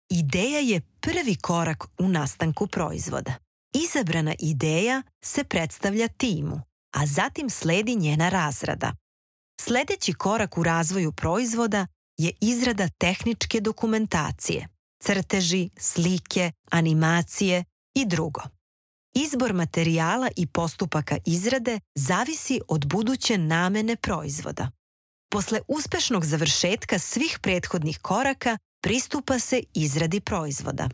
Ideja je prvi korak u nastanku proizvoda. Izabrana ideja se predstavlja timu, a zatim sledi njena razrada. Sledeći korak u razvoju proizvoda je izrada tehničke dokumentacije, crteži, slike, animacije i drugo. Izbor materijala i postupaka izrade zavisi od buduće namene proizvoda. Posle uspešnog završetka svih prethodnih koraka pristupa se izradi proizvoda.